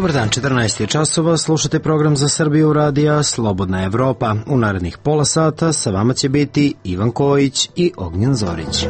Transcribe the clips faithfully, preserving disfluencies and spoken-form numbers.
Dobar dan, četrnaest je časova, slušate program za Srbiju radija Slobodna Evropa. U narednih pola sata sa vama će biti Ivan Kojić i Ognjen Zorić.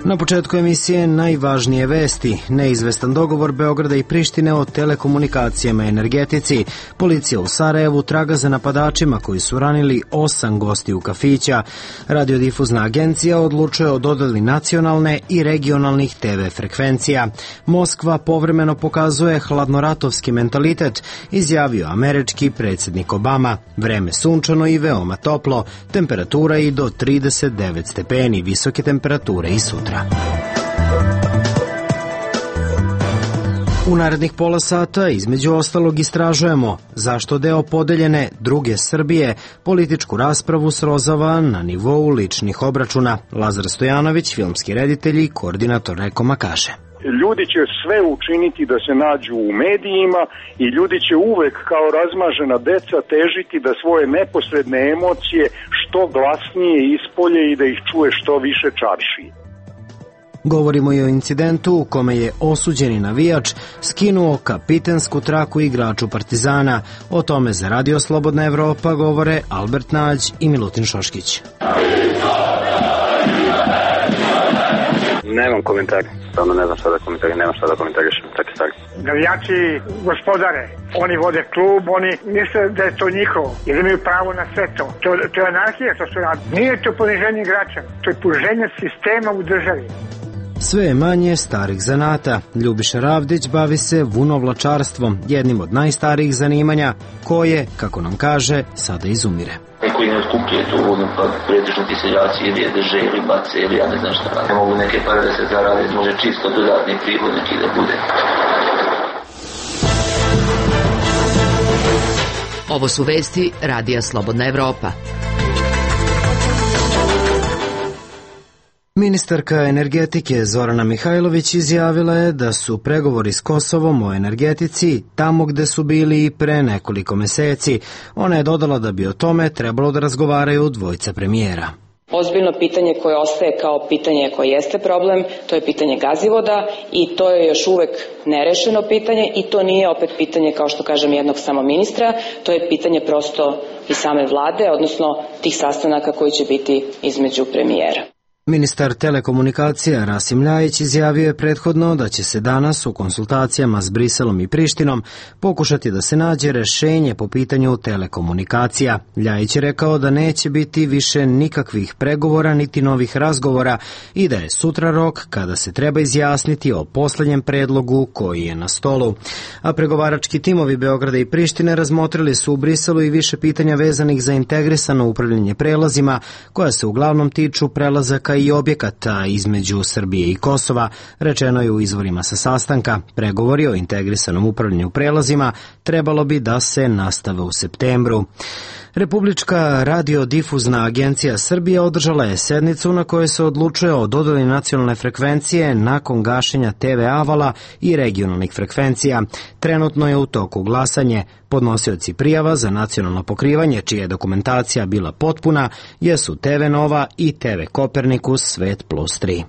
Na početku emisije najvažnije vesti. Neizvestan dogovor Beograda i Prištine o telekomunikacijama i energetici. Policija u Sarajevu traga za napadačima koji su ranili osam gostiju kafića. Radiodifuzna agencija odlučuje o dodeli nacionalne i regionalnih te ve frekvencija. Moskva povremeno pokazuje hladnoratovski mentalitet, izjavio američki predsjednik Obama. Vreme sunčano i veoma toplo, temperatura i do trideset devet stepeni, visoke temperature i sutra. U narednih pola sata između ostalog istražujemo zašto deo podeljene druge Srbije političku raspravu srozava na nivou ličnih obračuna. Lazar Stojanović, filmski reditelj i koordinator Rekoma, kaže: Ljudi će sve učiniti da se nađu u medijima i ljudi će uvek kao razmažena deca težiti da svoje neposredne emocije što glasnije ispolje i da ih čuje što više čaršije. Govorimo i o incidentu u kome je osuđeni navijač skinuo kapitensku traku igraču Partizana. O tome za Radio Slobodna Evropa govore Albert Nađ i Milutin Šoškić. Nemam komentar, stvarno ne znam šta da komentarišem, nemam šta da komentarišem, tako stvari. Navijači gospodare, oni vode klub, oni misle da je to njihovo, jer imaju pravo na sve to. To, to je anarhija što su radili. Nije to poniženje igrača, to je poniženje sistema u državi. Sve je manje starih zanata. Ljubiša Ravdić bavi se vunovlačarstvom, jednim od najstarijih zanimanja, koje, kako nam kaže, sada izumire. Koji ne otkupljuje tu vodu, pa pretežno ti seljaci ili je drže ili bace ili ja ne znam šta. Ne mogu neke pare da se zarade, može čisto dodatni prihod neki da bude. Ovo su vesti Radija Slobodna Evropa. Ministarka energetike Zorana Mihajlović izjavila je da su pregovori s Kosovom o energetici tamo gde su bili i pre nekoliko meseci. Ona je dodala da bi o tome trebalo da razgovaraju dvojica premijera. Ozbiljno pitanje koje ostaje kao pitanje koje jeste problem, to je pitanje gazivoda i to je još uvek nerešeno pitanje i to nije opet pitanje, kao što kažem, jednog samo ministra, to je pitanje prosto i same vlade, odnosno tih sastanaka koji će biti između premijera. Ministar telekomunikacija Rasim Ljajić izjavio je prethodno da će se danas u konsultacijama s Briselom i Prištinom pokušati da se nađe rešenje po pitanju telekomunikacija. Ljajić je rekao da neće biti više nikakvih pregovora niti novih razgovora i da je sutra rok kada se treba izjasniti o poslednjem predlogu koji je na stolu. A pregovarački timovi Beograda i Prištine razmotrili su u Briselu i više pitanja vezanih za integrisano upravljanje prelazima, koja se uglavnom tiču prelazaka i objekata između Srbije i Kosova, rečeno je u izvorima sa sastanka. Pregovori o integrisanom upravljanju prelazima trebalo bi da se nastave u septembru. Republička radiodifuzna agencija Srbije održala je sednicu na kojoj se odlučuje o dodeli nacionalne frekvencije nakon gašenja te ve avala i regionalnih frekvencija. Trenutno je u toku glasanje. Podnosioci prijava za nacionalno pokrivanje, čija je dokumentacija bila potpuna, jesu te ve Nova i te ve Kopernikus Svet plus tri.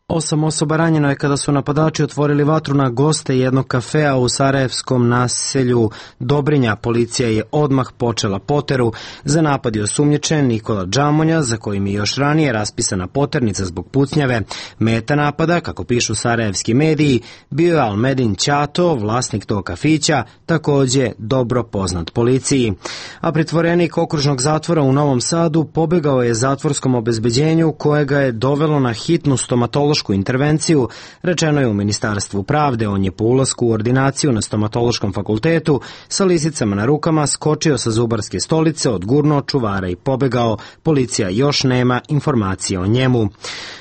Osam osoba ranjeno je kada su napadači otvorili vatru na goste jednog kafea u sarajevskom naselju Dobrinja. Policija je odmah počela poteru. Za napad je osumnjičen Nikola Džamonja, za kojim je još ranije raspisana poternica zbog pucnjave. Meta napada, kako pišu sarajevski mediji, bio je Almedin Ćato, vlasnik tog kafića, takođe dobro poznat policiji. A pritvorenik okružnog zatvora u Novom Sadu pobegao je zatvorskom obezbeđenju koje ga je dovelo na hitnu stomatološku intervenciju, rečeno je u Ministarstvu pravde. On je po ulasku u ordinaciju na stomatološkom fakultetu sa lisicama na rukama skočio sa zubarske stolice, odgurnuo čuvara i pobegao. Policija još nema informacije o njemu.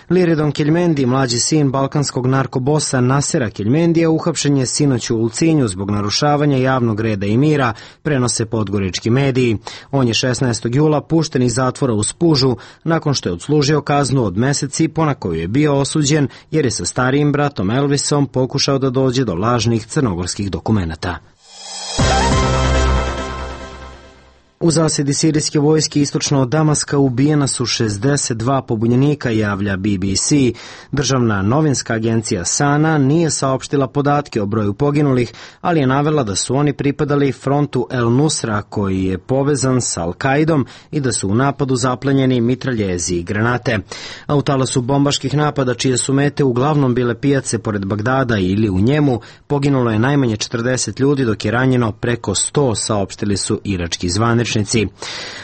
Liridon Keljmendi, mlađi sin balkanskog narkobosa Nasera Keljmendija, uhapšen je sinoć u Ulcinju zbog narušavanja javnog reda i mira, prenose podgorički mediji. On je šesnaestog jula pušten iz zatvora u Spužu nakon što je odslužio kaznu od mesec i po na koju je bio osuđen jer je sa starijim bratom Elvisom pokušao da dođe do lažnih crnogorskih dokumenata. U zasedi sirijske vojske istočno od Damaska ubijena su šezdeset dva pobunjenika, javlja B B C. Državna novinska agencija Sana nije saopštila podatke o broju poginulih, ali je navela da su oni pripadali frontu El Nusra, koji je povezan sa Al-Kaidom, i da su u napadu zaplenjeni mitraljezi i granate. A u talasu bombaških napada, čije su mete uglavnom bile pijace pored Bagdada ili u njemu, poginulo je najmanje četrdeset ljudi, dok je ranjeno preko sto, saopštili su irački zvaničnici.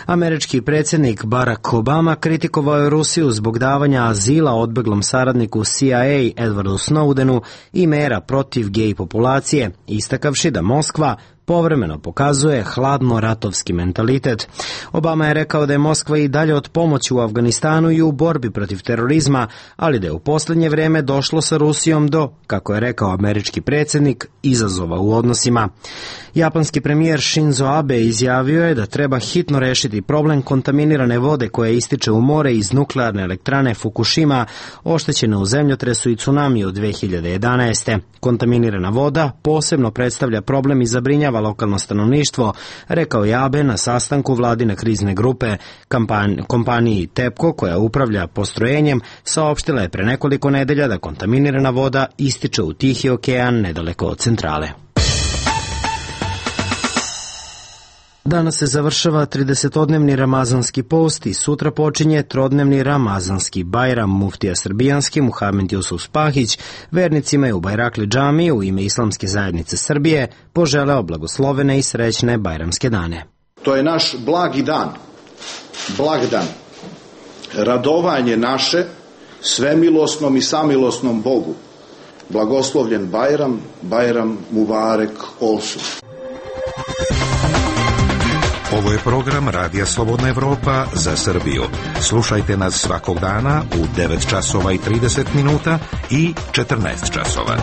Američki predsjednik Barack Obama kritikovao je Rusiju zbog davanja azila odbeglom saradniku C I A Edwardu Snowdenu i mera protiv gej populacije, istakavši da Moskva povremeno pokazuje hladno ratovski mentalitet. Obama je rekao da je Moskva i dalje od pomoći u Afganistanu i u borbi protiv terorizma, ali da je u posljednje vreme došlo sa Rusijom do, kako je rekao američki predsjednik, izazova u odnosima. Japanski premijer Shinzo Abe izjavio je da treba hitno rešiti problem kontaminirane vode koja ističe u more iz nuklearne elektrane Fukushima, oštećene u zemljotresu i tsunami od dve hiljade jedanaeste. Kontaminirana voda posebno predstavlja problem i zabrinjava lokalno stanovništvo, rekao je Abe na sastanku vladine krizne grupe. Kampan- kompaniji TEPCO, koja upravlja postrojenjem, saopštila je pre nekoliko nedelja da kontaminirana voda ističe u Tihi okean nedaleko od centrale. Danas se završava tridesetodnevni ramazanski post i sutra počinje trodnevni ramazanski Bajram. Muftija srbijanski Muhamed Jusuf Spahić vernicima je u Bajrakli džamiji u ime Islamske zajednice Srbije poželeo blagoslovene i srećne bajramske dane. To je naš blagi dan, blagdan, radovanje naše svemilosnom i samilosnom Bogu. Blagoslovljen Bajram, Bajram Mubarek Olsu. Ovo je program Radija Slobodna Evropa za Srbiju. Slušajte nas svakog dana u devet časova i trideset minuta i četrnaest časova.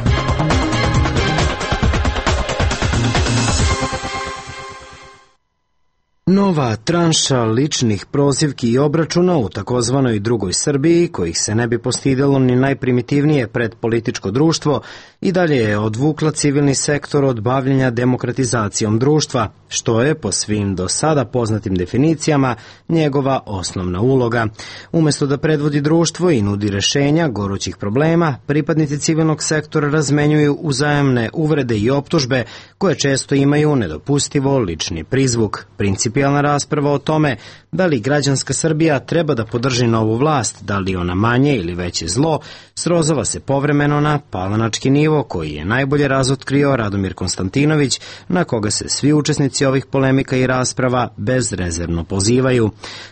Nova tranša ličnih prozivki i obračuna u takozvanoj drugoj Srbiji, kojih se ne bi postidelo ni najprimitivnije predpolitičko društvo, i dalje je odvukla civilni sektor od bavljenja demokratizacijom društva, što je, po svim do sada poznatim definicijama, njegova osnovna uloga. Umesto da predvodi društvo i nudi rešenja gorućih problema, pripadnici civilnog sektora razmenjuju uzajamne uvrede i optužbe koje često imaju nedopustivo lični prizvuk. Principijalna rasprava o tome da li građanska Srbija treba da podrži novu vlast, da li ona manje ili veće zlo, srozava se povremeno na palanački nivo koji je najbolje razotkrio Radomir Konstantinović, na koga se svi učesnici ovih polemika i rasprava bezrezervno pozivaju.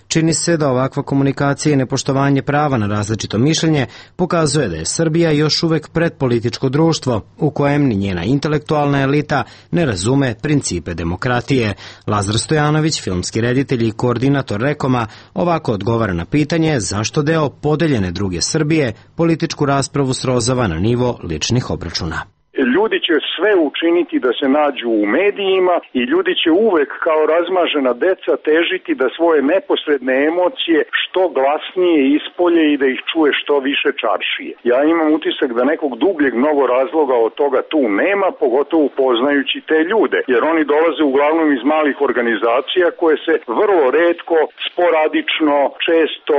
Čini se da ovakva komunikacija i nepoštovanje prava na različito mišljenje pokazuje da je Srbija još uvek predpolitičko društvo u kojem ni njena intelektualna elita ne razume principe demokratije. Lazar Stojanović, filmski reditelj i koordinator Rekoma, ovako odgovara na pitanje zašto deo podeljene druge Srbije političku raspravu srozava na nivo ličnih obračuna. Ljudi će sve učiniti da se nađu u medijima i ljudi će uvek kao razmažena deca težiti da svoje neposredne emocije što glasnije ispolje i da ih čuje što više čaršije. Ja imam utisak da nekog dubljeg mnogo razloga od toga tu nema, pogotovo poznajući te ljude, jer oni dolaze uglavnom iz malih organizacija koje se vrlo retko, sporadično, često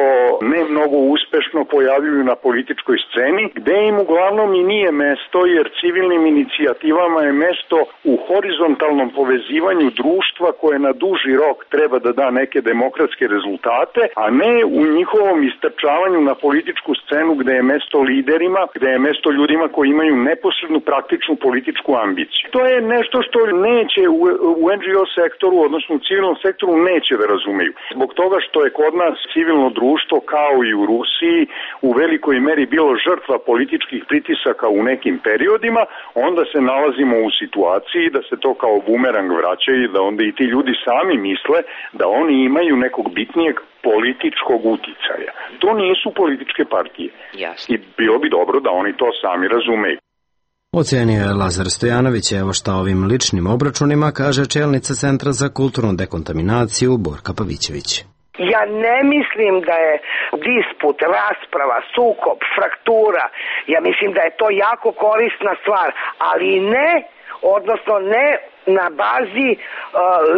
ne mnogo uspešno pojavljuju na političkoj sceni, gde im uglavnom i nije mesto, jer civilnim inicijativama je mesto u horizontalnom povezivanju društva koje na duži rok treba da da neke demokratske rezultate, a ne u njihovom istrčavanju na političku scenu gde je mesto liderima, gde je mesto ljudima koji imaju neposrednu praktičnu političku ambiciju. To je nešto što neće u, u N G O sektoru, odnosno u civilnom sektoru, neće da razumeju. Zbog toga što je kod nas civilno društvo, kao i u Rusiji, u velikoj meri bilo žrtva političkih pritisaka u nekim periodima, onda se nalazimo u situaciji da se to kao bumerang vraća i da onda i ti ljudi sami misle da oni imaju nekog bitnijeg političkog uticaja. To nisu političke partije. Jasne. I bilo bi dobro da oni to sami razumeju. Ocenio je Lazar Stojanović, evo šta ovim ličnim obračunima kaže čelnica Centra za kulturnu dekontaminaciju Borka Pavićević. Ja ne mislim da je disput, rasprava, sukob, fraktura, ja mislim da je to jako korisna stvar, ali ne odnosno ne na bazi uh,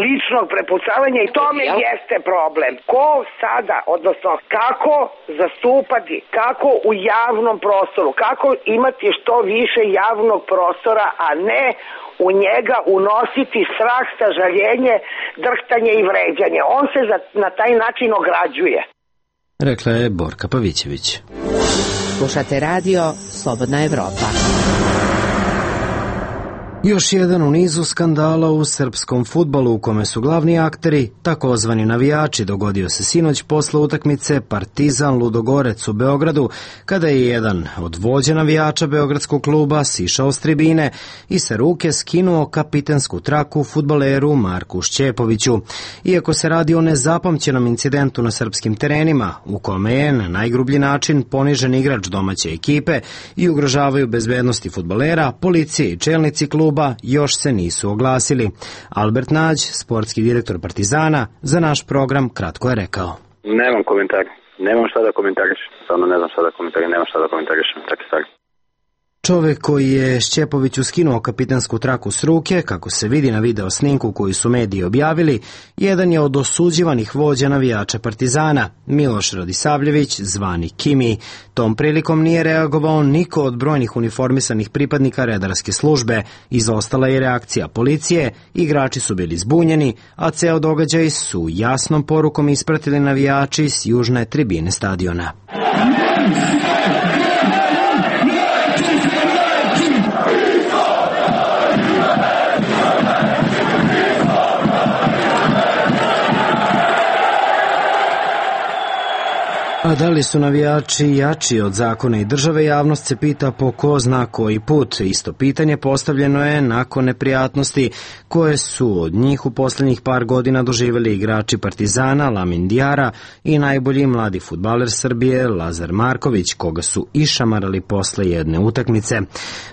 ličnog prepucavanja i tome jeste problem. Ko sada, odnosno kako zastupati, kako u javnom prostoru, kako imati što više javnog prostora, a ne u njega unositi strah, sažaljenje, drhtanje i vređanje. On se za, na taj način ograđuje. Rekla je Borka Pavićević. Slušate radio Slobodna Evropa. Još jedan u nizu skandala u srpskom fudbalu u kome su glavni akteri takozvani navijači dogodio se sinoć posle utakmice Partizan Ludogorec u Beogradu, kada je jedan od vođa navijača beogradskog kluba sišao s tribine i sa ruke skinuo kapitensku traku fudbaleru Marku Šćepoviću. Iako se radi o nezapamćenom incidentu na srpskim terenima, u kome je na najgrublji način ponižen igrač domaće ekipe i ugrožavaju bezbednosti fudbalera, policije i čelnici kluba još se nisu oglasili. Albert Nađ, sportski direktor Partizana, za naš program kratko je rekao. Nemam komentar. Nemam šta da komentarišem. Stvarno ne znam šta da komentarišem. Nemam šta da komentarišem. Tako stvari. Čovek koji je Šćepoviću skinuo kapitensku traku s ruke, kako se vidi na video snimku koju su mediji objavili, jedan je od osuđivanih vođa navijača Partizana, Miloš Radisavljević, zvani Kimi. Tom prilikom nije reagovao niko od brojnih uniformisanih pripadnika redarske službe. Izostala je reakcija policije, igrači su bili zbunjeni, a ceo događaj su jasnom porukom ispratili navijači s južne tribine stadiona. A da li su navijači jači od zakona i države, javnost se pita po ko zna koji put. Isto pitanje postavljeno je nakon neprijatnosti koje su od njih u posljednjih par godina doživjeli igrači Partizana, Lamin Diara i najbolji mladi fudbaler Srbije Lazar Marković, koga su išamarali posle jedne utakmice.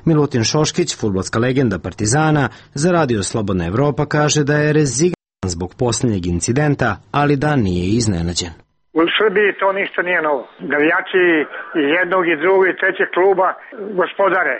Milutin Šoškić, fudbalska legenda Partizana, za radio Slobodna Evropa kaže da je rezignan zbog posljednjeg incidenta, ali da nije iznenađen. U Srbiji to ništa nije novo. Navijači iz jednog i drugog i trećeg kluba gospodare.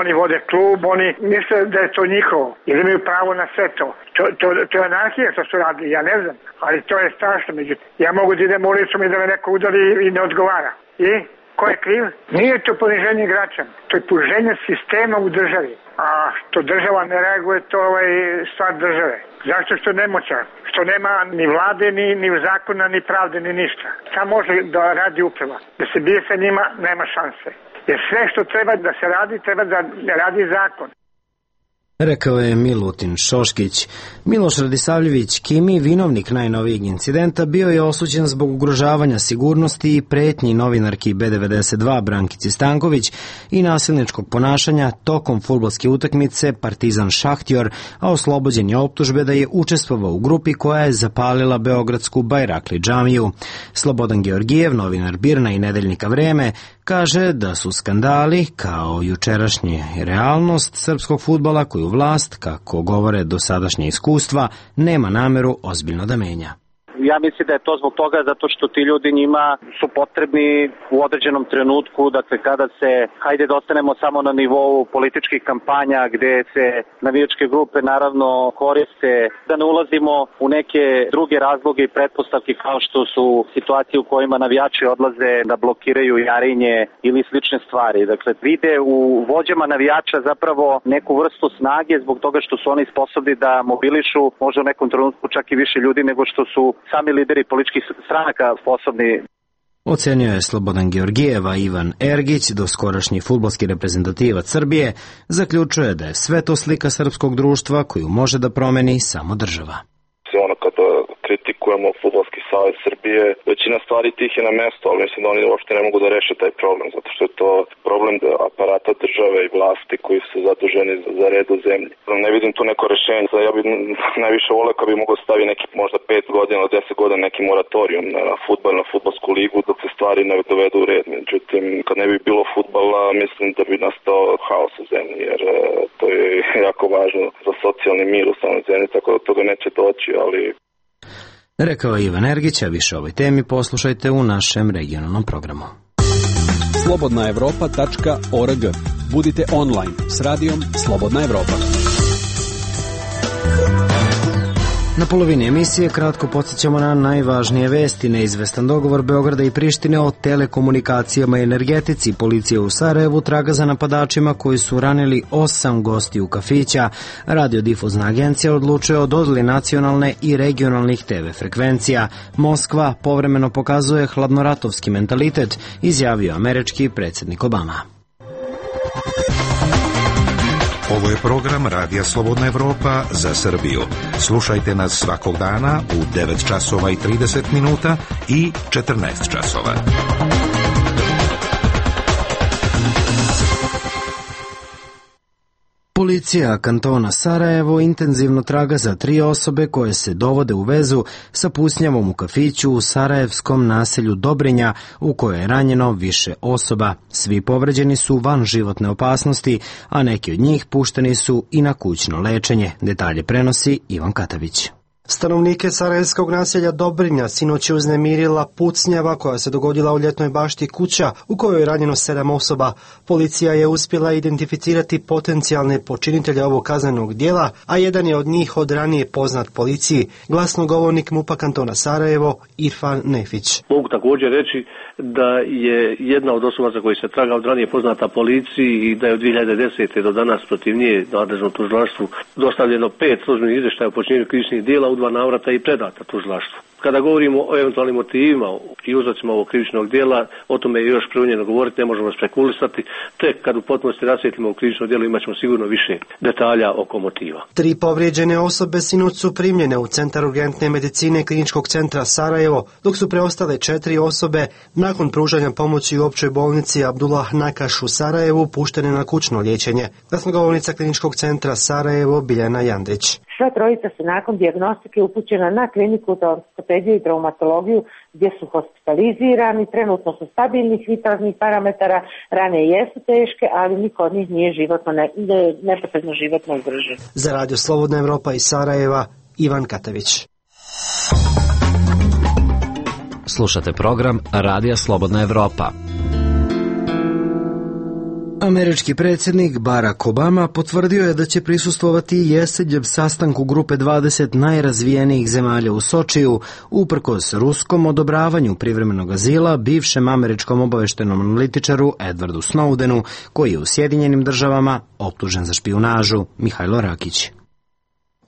Oni vode klub, oni misle da je to njihovo, jer imaju pravo na sve to. To, to, to je anarhija što su radili, ja ne znam, ali to je strašno. Međutim, ja mogu da idem ulicom i da me neko udari i ne odgovara. I ko je kriv? Nije to poniženje igrača, to je poniženje sistema u državi. A što država ne reaguje, to je stvar države. Zašto što nemoćan? Što nema ni vlade, ni, ni zakona, ni pravde, ni ništa. Sam može da radi uprava. Da se bije sa njima, nema šanse. Jer sve što treba da se radi, treba da radi zakon. Rekao je Milutin Šoškić. Miloš Radisavljević Kimi, vinovnik najnovijeg incidenta, bio je osuđen zbog ugrožavanja sigurnosti i pretnji novinarki B devedeset dva Brankici Stanković i nasilničkog ponašanja tokom fudbalske utakmice Partizan Šahtjor, a oslobođen je optužbe da je učestvovao u grupi koja je zapalila beogradsku Bajrakli džamiju. Slobodan Georgijev, novinar Birna i nedeljnika Vreme, kaže da su skandali, kao jučerašnje realnost srpskog fudbala koju vlast, kako govore dosadašnje iskustva, nema nameru ozbiljno da menja. Ja mislim da je to zbog toga zato što ti ljudi njima su potrebni u određenom trenutku, dakle kada se, hajde da ostanemo samo na nivou političkih kampanja gde se navijačke grupe naravno koriste, da ne ulazimo u neke druge razloge i pretpostavke kao što su situacije u kojima navijači odlaze da blokiraju Jarinje ili slične stvari. Dakle, vide u vođama navijača zapravo neku vrstu snage zbog toga što su oni sposobni da mobilišu možda u nekom trenutku čak i više ljudi nego što su sami lideri političkih stranaka sposobni. Ocenio je Slobodan Georgijeva. Ivan Ergić, doskorašnji fudbalski reprezentativac Srbije, zaključuje da je sve to slika srpskog društva koju može da promeni samo država. Ono kada kritikujemo Fudbalski savez Srbije, većina stvari tih je na mesto, ali mislim da oni uopšte ne mogu da reše taj problem, zato što je to problem aparata države i vlasti koji su zaduženi za red u zemlji. Ne vidim tu neko rešenje. Ja bih najviše voleo kad bi mogao staviti neki možda pet godina, deset godina neki moratorijum na fudbal, na fudbalsku ligu dok se stvari ne dovedu u red. Međutim, kad ne bi bilo fudbala, mislim da bi nastao haos u zemlji, jer to je jako važno za socijalni mir u samoj zemlji, tako da toga neće doći, ali... Rekao je Ivan Ergić, a više o ovoj temi poslušajte u našem regionalnom programu. slobodna evropa tačka org. Budite online s radijom Slobodna Evropa. Na polovini emisije kratko podsjećamo na najvažnije vesti. Neizvestan dogovor Beograda i Prištine o telekomunikacijama i energetici. Policija u Sarajevu traga za napadačima koji su ranili osam gostiju kafića. Radiodifuzna agencija odlučuje o dodeli nacionalne i regionalnih te ve frekvencija. Moskva povremeno pokazuje hladnoratovski mentalitet, izjavio američki predsjednik Obama. Ovo je program Radija Slobodna Evropa za Srbiju. Slušajte nas svakog dana u devet časova i trideset minuta i četrnaest časova. Policija kantona Sarajevo intenzivno traga za tri osobe koje se dovode u vezu sa pucnjavom u kafiću u sarajevskom naselju Dobrinja u kojoj je ranjeno više osoba. Svi povređeni su van životne opasnosti, a neki od njih pušteni su i na kućno lečenje. Detalje prenosi Ivan Katavić. Stanovnike sarajevskog naselja Dobrinja sinoć je uznemirila pucnjava koja se dogodila u Ljetnoj bašti kuća u kojoj je ranjeno sedam osoba. Policija je uspjela identificirati potencijalne počinitelje ovog kaznenog dijela, a jedan je od njih od ranije poznat policiji, glasnogovornik MUP-a kantona Sarajevo Irfan Nefić. Mogu također reći da je jedna od osoba za koju se traga od ranije poznata policiji i da je od dvije hiljade desete. do danas protiv nje nadležnom tužilaštvu dostavljeno pet službenih izvještaja o počinjenju krivičnih djela u dva navrata i predata tužilaštvu. Kada govorimo o eventualnim motivima i uzrocima ovog krivičnog djela, o tome je još preunjeno govoriti, ne možemo spekulisati. Tek kad u potpunosti rasvijetlimo krivično djelo imat ćemo sigurno više detalja oko motiva. Tri povrijeđene osobe sinoć su primljene u Centar urgentne medicine Kliničkog centra Sarajevo, dok su preostale četiri osobe nakon pružanja pomoći u općoj bolnici Abdullah Nakaš u Sarajevu puštene na kućno liječenje. Glasnogovornica Kliničkog centra Sarajevo Biljana Jandrić. Sva trojica su nakon dijagnostike upućena na kliniku za ortopediju i traumatologiju gdje su hospitalizirani, trenutno su stabilnih vitalnih parametara, rane jesu teške, ali niko od njih nije životno, ne, neposredno životno ugrožen. Za Radio Slobodna Evropa iz Sarajeva, Ivan Katavić. Slušate program Radija Slobodna Evropa. Američki predsjednik Barack Obama potvrdio je da će prisustvovati jesenjem sastanku grupe dvadeset najrazvijenijih zemalja u Sočiju, uprkos ruskom odobravanju privremenog azila bivšem američkom obaveštenom analitičaru Edwardu Snowdenu, koji je u Sjedinjenim državama optužen za špijunažu. Mihajlo Rakić.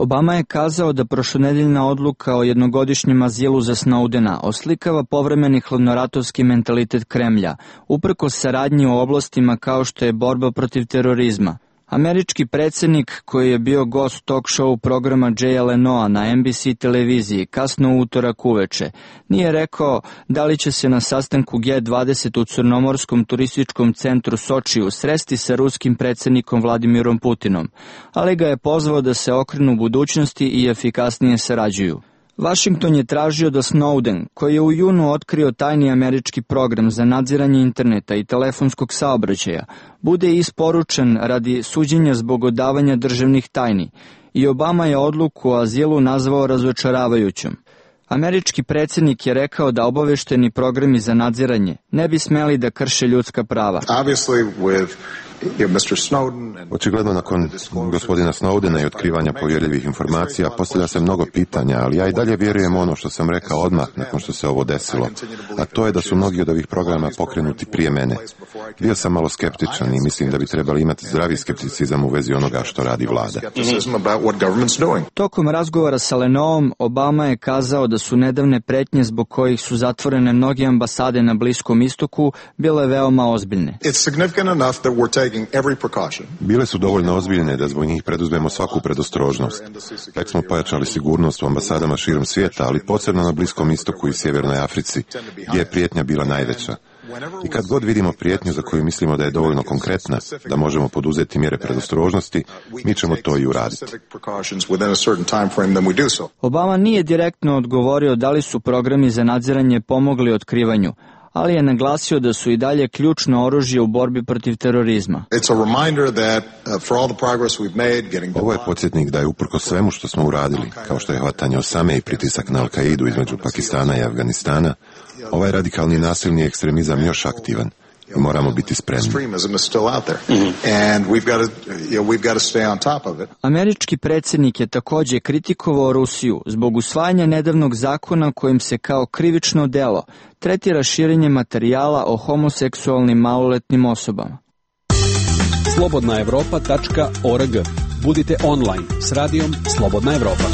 Obama je kazao da prošlonedeljna odluka o jednogodišnjem azilu za Snowdena oslikava povremeni hladnoratovski mentalitet Kremlja, uprkos saradnji u oblastima kao što je borba protiv terorizma. Američki predsjednik, koji je bio gost talk show programa Jaya Lenoa na en bi si televiziji kasno u utorak uveče, nije rekao da li će se na sastanku ge dvadeset u Crnomorskom turističkom centru Sočiju sresti sa ruskim predsjednikom Vladimirom Putinom, ali ga je pozvao da se okrenu budućnosti i efikasnije sarađuju. Washington je tražio da Snowden, koji je u junu otkrio tajni američki program za nadziranje interneta i telefonskog saobraćaja, bude isporučen radi suđenja zbog odavanja državnih tajni, i Obama je odluku o azilu nazvao razočaravajućom. Američki predsjednik je rekao da obavešteni programi za nadziranje ne bi smeli da krše ljudska prava. Očigledno nakon gospodina Snowdena i otkrivanja povjerljivih informacija postavlja se mnogo pitanja, ali ja i dalje vjerujem ono što sam rekao odmah nakon što se ovo desilo, a to je da su mnogi od ovih programa pokrenuti prije mene. Bio sam malo skeptičan i mislim da bi trebali imati zdravi skepticizam u vezi onoga što radi vlada. Tokom razgovora sa Lenoom, Obama je kazao da su nedavne pretnje zbog kojih su zatvorene mnoge ambasade na Bliskom istoku bile veoma ozbiljne. Bile su dovoljno ozbiljne da zbog njih preduzmemo svaku predostrožnost. Tek smo pojačali sigurnost u ambasadama širom svijeta, ali posebno na Bliskom istoku i Sjevernoj Africi, gdje je prijetnja bila najveća. I kad god vidimo prijetnju za koju mislimo da je dovoljno konkretna, da možemo poduzeti mjere predostrožnosti, mi ćemo to i uraditi. Obama nije direktno odgovorio da li su programi za nadziranje pomogli otkrivanju, ali je naglasio da su i dalje ključno oružje u borbi protiv terorizma. Ovo je podsjetnik da je uprkos svemu što smo uradili, kao što je hvatanje Osame i pritisak na Al-Kaidu između Pakistana i Afganistana, ovaj radikalni nasilni ekstremizam još aktivan Moramo biti spremni. Američki predsjednik je također kritikovao Rusiju zbog usvajanja nedavnog zakona kojim se kao krivično delo tretira širenje materijala o homoseksualnim maloletnim osobama. slobodna evropa tačka org. Budite online s radijom Slobodna Evropa.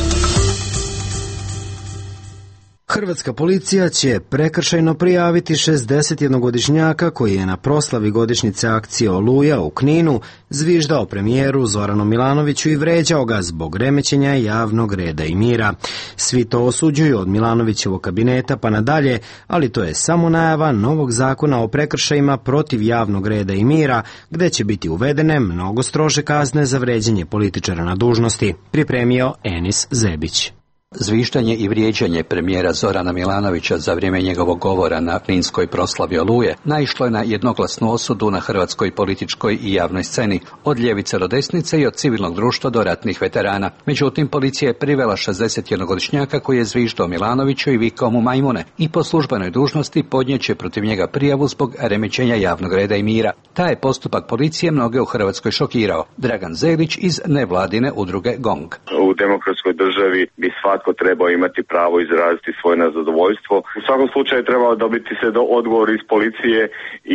Hrvatska policija će prekršajno prijaviti šezdesetjednogodišnjaka koji je na proslavi godišnjice akcije Oluja u Kninu zviždao premijeru Zoranu Milanoviću i vređao ga zbog remećenja javnog reda i mira. Svi to osuđuju od Milanovićevog kabineta pa nadalje, ali to je samo najava novog zakona o prekršajima protiv javnog reda i mira, gde će biti uvedene mnogo strože kazne za vređanje političara na dužnosti, pripremio Enis Zebić. Zviždanje i vrijeđanje premijera Zorana Milanovića za vrijeme njegovog govora na kninskoj proslavi Oluje naišlo je na jednoglasnu osudu na hrvatskoj političkoj i javnoj sceni, od ljevice do desnice i od civilnog društva do ratnih veterana. Međutim, policija je privela šezdesetjednogodišnjaka koji je zviždao Milanoviću i vikao mu majmune i po službenoj dužnosti podnijeće protiv njega prijavu zbog remećenja javnog reda i mira. Taj je postupak policije mnoge u Hrvatskoj šokirao. Dragan Zelić iz nevladine udruge GONG. U demokratskoj državi bi svatko trebao imati pravo izraziti svoje nezadovoljstvo. U svakom slučaju trebao dobiti se do odgovor iz policije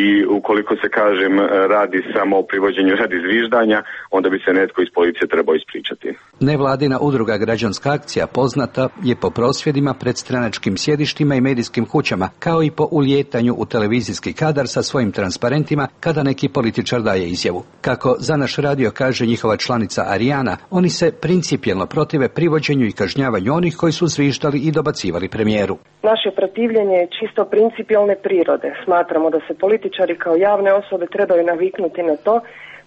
i ukoliko se, kažem, radi samo o privođenju radi zviždanja, onda bi se netko iz policije trebao ispričati. Nevladina udruga Građanska akcija poznata je po prosvjedima pred stranačkim sjedištima i medijskim kućama, kao i po ulijetanju u televizijski kadar sa svojim transparentima kada neki političar daje izjavu. Kako za naš radio kaže njihova članica Arijana, oni se principijelno protive privođenju i kažnjavanju onih koji su zviždali i dobacivali premijeru. Naše protivljenje je čisto principijelne prirode. Smatramo da se političari kao javne osobe trebaju naviknuti na to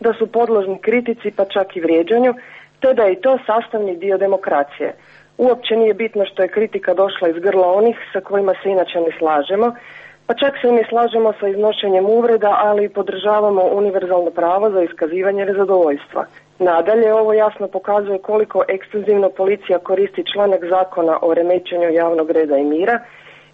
da su podložni kritici pa čak i vrijeđanju, te da je i to sastavni dio demokracije. Uopće nije bitno što je kritika došla iz grla onih sa kojima se inače ne slažemo, pa čak se i ne slažemo sa iznošenjem uvreda, ali podržavamo univerzalno pravo za iskazivanje nezadovoljstva. Nadalje, ovo jasno pokazuje koliko ekstenzivno policija koristi članak zakona o remećenju javnog reda i mira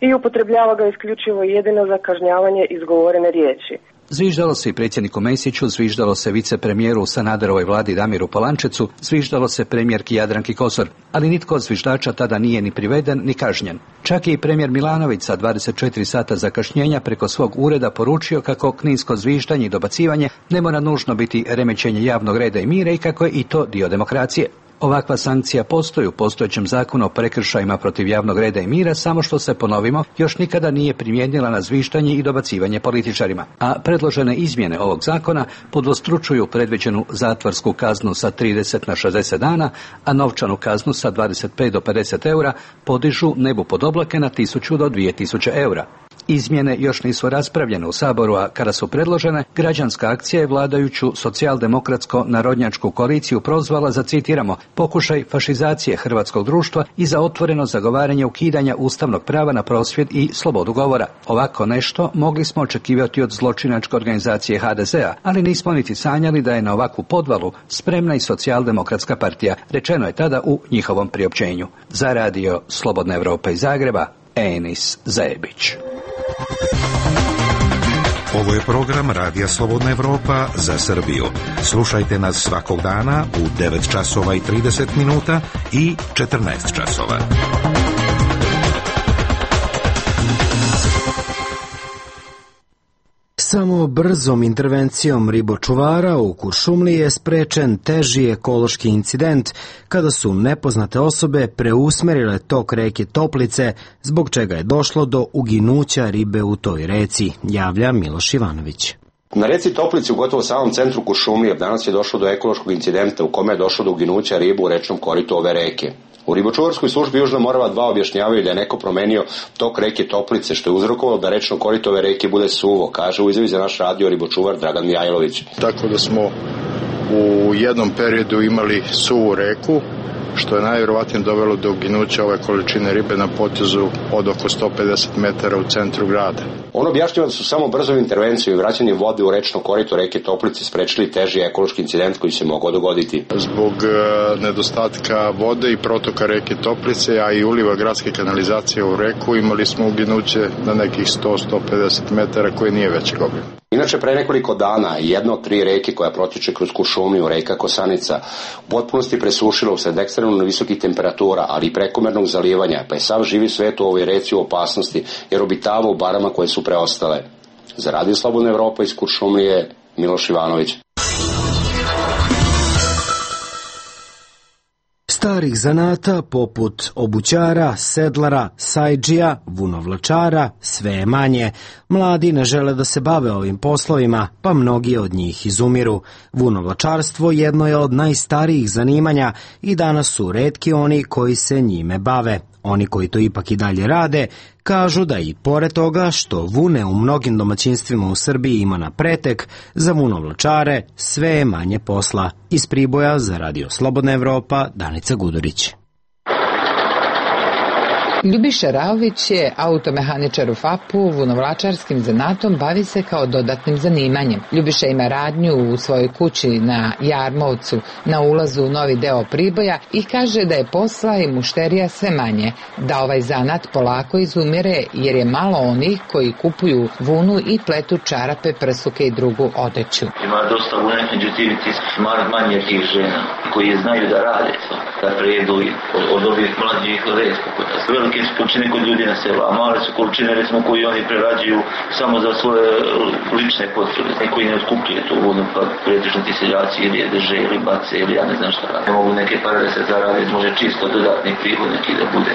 i upotrebljava ga isključivo jedino za kažnjavanje izgovorene riječi. Zviždalo se i predsjedniku Mesiću, zviždalo se vicepremijeru u Sanaderovoj vladi Damiru Polančecu, zviždalo se premijerki Jadranki Kosor, ali nitko od zviždača tada nije ni priveden ni kažnjen. Čak je i premijer Milanović sa dvadeset četiri sata zakašnjenja preko svog ureda poručio kako kninsko zviždanje i dobacivanje ne mora nužno biti remećenje javnog reda i mira i kako je i to dio demokracije. Ovakva sankcija postoji u postojećem zakonu o prekršajima protiv javnog reda i mira, samo što se, ponovimo, još nikada nije primijenila na zvištanje i dobacivanje političarima. A predložene izmjene ovog zakona podvostručuju predviđenu zatvorsku kaznu sa trideset na šezdeset dana, a novčanu kaznu sa dvadeset pet do pedeset eura podižu nebu pod oblake na tisuću do dvije tisuće eura. Izmjene još nisu raspravljene u Saboru, a kada su predložene, Građanska akcija je vladajuću socijaldemokratsko-narodnjačku koaliciju prozvala za, citiramo, pokušaj fašizacije hrvatskog društva i za otvoreno zagovaranje ukidanja ustavnog prava na prosvjed i slobodu govora. Ovako nešto mogli smo očekivati od zločinačke organizacije ha de ze a, ali nismo niti sanjali da je na ovakvu podvalu spremna i socijaldemokratska partija, rečeno je tada u njihovom priopćenju. Za radio Slobodna Evropa iz Zagreba, Enis Zebić. Ovo je program Radija Slobodna Evropa za Srbiju. Slušajte nas svakog dana u devet časova i trideset minuta i četrnaest časova. Samo brzom intervencijom ribočuvara u Kuršumliji je sprečen teži ekološki incident kada su nepoznate osobe preusmerile tok reke Toplice, zbog čega je došlo do uginuća ribe u toj reci, javlja Miloš Ivanović. Na reci Toplici u gotovo samom centru Kuršumlije danas je došlo do ekološkog incidenta u kome je došlo do uginuća ribe u rečnom koritu ove reke. U ribočuvarskoj službi Južna Morava dva objašnjavaju da je neko promenio tok reke Toplice, što je uzrokovalo da rečno korito ove reke bude suvo, kaže u izjavi za naš radio ribočuvar Dragan Mijajlović. Tako da smo u jednom periodu imali suvu reku, što je najvjerovatnije dovelo do uginuća ove količine ribe na potezu od oko sto pedeset metara u centru grada. On objašnjava da su samo brzom intervencijom i vraćanjem vode u rečno korito reke Toplice sprečili teži ekološki incident koji se mogao dogoditi. Zbog e, nedostatka vode i protoka reke Toplice, a i uliva gradske kanalizacije u reku, imali smo uginuće na nekih sto do sto pedeset metara koje nije većeg obima. Inače, pre nekoliko dana jedna od tri reke koja protiče kroz Kuršumliju, reka Kosanica, u potpunosti presušila usled ekstremno visokih temperatura, ali i prekomernog zalivanja, pa je sav živi svet u ovoj reci u opasnosti, jer obitava u barama koje su preostale. Za Radio Slobodna Evropa iz Kuršumlije, Miloš Ivanović. Starih zanata poput obućara, sedlara, sajdžija, vunovlačara sve je manje. Mladi ne žele da se bave ovim poslovima, pa mnogi od njih izumiru. Vunovlačarstvo jedno je od najstarijih zanimanja i danas su retki oni koji se njime bave. Oni koji to ipak i dalje rade, kažu da i pored toga što vune u mnogim domaćinstvima u Srbiji ima na pretek, za vunovlačare sve je manje posla. Iz Priboja za Radio Slobodna Evropa, Danica Gudurić. Ljubiša Raović je automehaničar u F A P-u, vunovlačarskim zanatom bavi se kao dodatnim zanimanjem. Ljubiša ima radnju u svojoj kući na Jarmovcu, na ulazu u novi deo Priboja i kaže da je posla i mušterija sve manje, da ovaj zanat polako izumire jer je malo onih koji kupuju vunu i pletu čarape, prsuke i drugu odeću. Ima dosta vune, međutim ti manje tih žena koji znaju da rade to, da prejedu od ovih mlađih redko kod nas. Velike su količine kod ljudi na selu, a male su količine recimo koji oni prerađuju samo za svoje lične potrebe. Neko i ne otkupljuje tu vodu, pa pretežno ti seljaci ili je drže ili bace ili ja ne znam šta rade. Mogu neke pare da se zarade, može čisto dodatni prihod neki da bude.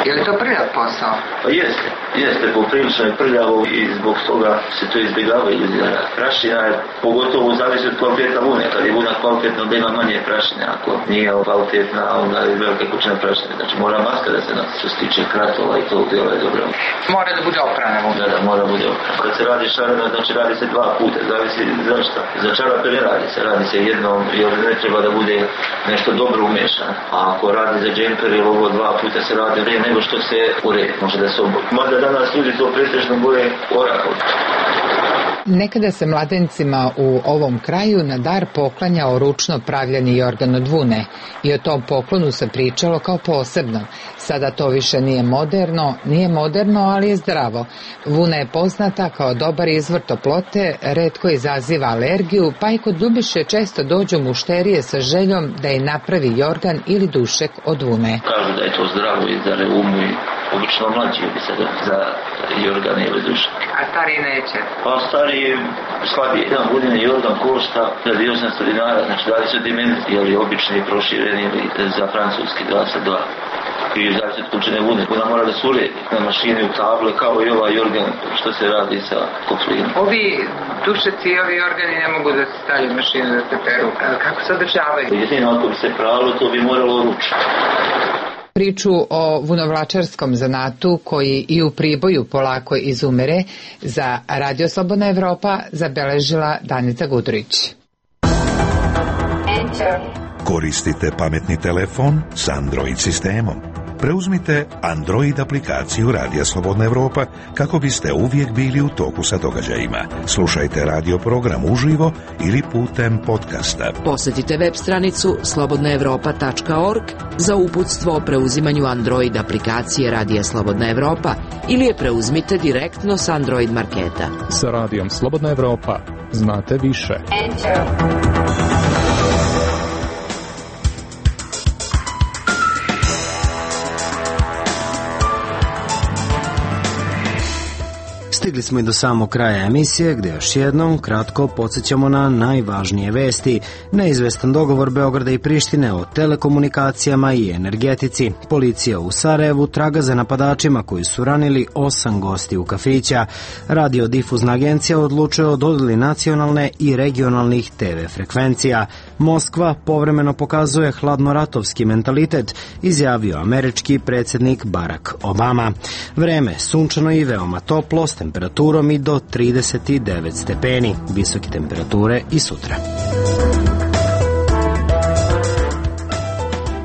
Je li to prljav posao? Pa jeste, jeste, poprilično je prljavo i zbog toga se to izbjegavaju ljudi da rade. Prašina je pogotovo zavisi od kvaliteta vune, kad je vuna kvalitetna da ima manje prašine, ako nije kvalitetna onda je velika kućina prašine, znači mora maska da se nas što se tiče kratova i tog djela je dobro. Mora da bude oprana vuna? Da, da, mora bude oprana. Kad se radi šarena, znači radi se dva puta, zavisi za šta. Za čarape ne radi se, radi se jednom jer ne treba da bude nešto dobro umešano, a ako radi za džemper ili ovo dva puta se radi vrijeme nego što se uredi, može da se oboji. Možda danas ljudi to pretežno boje orahom. Nekada se mladencima u ovom kraju na dar poklanjao ručno pravljeni jorgan od vune i o tom poklonu se pričalo kao posebnom. Sada to više nije moderno, nije moderno, ali je zdravo. Vuna je poznata kao dobar izvor toplote, retko izaziva alergiju, pa i kod Ljubiše često dođu mušterije sa željom da je napravi jorgan ili dušek od vune. Kažu da je to zdravo i za reumu i obično mlađi bi se za jorgan ili dušek. A stari neće? Pa stari je slabije. Jedan vodini jorgan košta hiljadu osamsto dinara, znači dvadeset dimenzija, ili obični prošireni ili za francuski dva sa dva. I zavisi od količine vune, ona mora da se uredi na mašini u table kao i ovaj jorgan što se radi sa koflinom. Ovi dušeci i ovi organi ne mogu da se stavljaju u mašinu da se peru. Kako se održavaju? Jedino ako bi se pravilo, to bi moralo ručno. Priču o vunovlačarskom zanatu koji i u Priboju polako izumire za Radio Slobodna Evropa zabeležila Danica Gudurić. Koristite pametni telefon s Android sistemom. Preuzmite Android aplikaciju Radija Slobodna Evropa kako biste uvijek bili u toku sa događajima. Slušajte radio program uživo ili putem podcasta. Posjetite web stranicu slobodna evropa tačka org za uputstvo o preuzimanju Android aplikacije Radija Slobodna Evropa ili je preuzmite direktno s Android marketa. Sa Radijom Slobodna Evropa znate više. Enter. Stigli smo i do samog kraja emisije gdje još jednom kratko podsjećamo na najvažnije vesti. Neizvestan dogovor Beograda i Prištine o telekomunikacijama i energetici. Policija u Sarajevu traga za napadačima koji su ranili osam gosti u kafića. Radiodifuzna agencija odlučuje o dodjeli nacionalne i regionalnih te ve frekvencija. Moskva povremeno pokazuje hladnoratovski mentalitet, izjavio američki predsjednik Barack Obama. Vreme sunčano i veoma toplo s temperaturom i do trideset devet stepeni. Visoke temperature i sutra.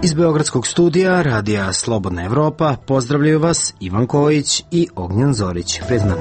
Iz Beogradskog studija Radija Slobodna Evropa pozdravljaju vas Ivan Kojić i Ognjan Zorić. Priznam.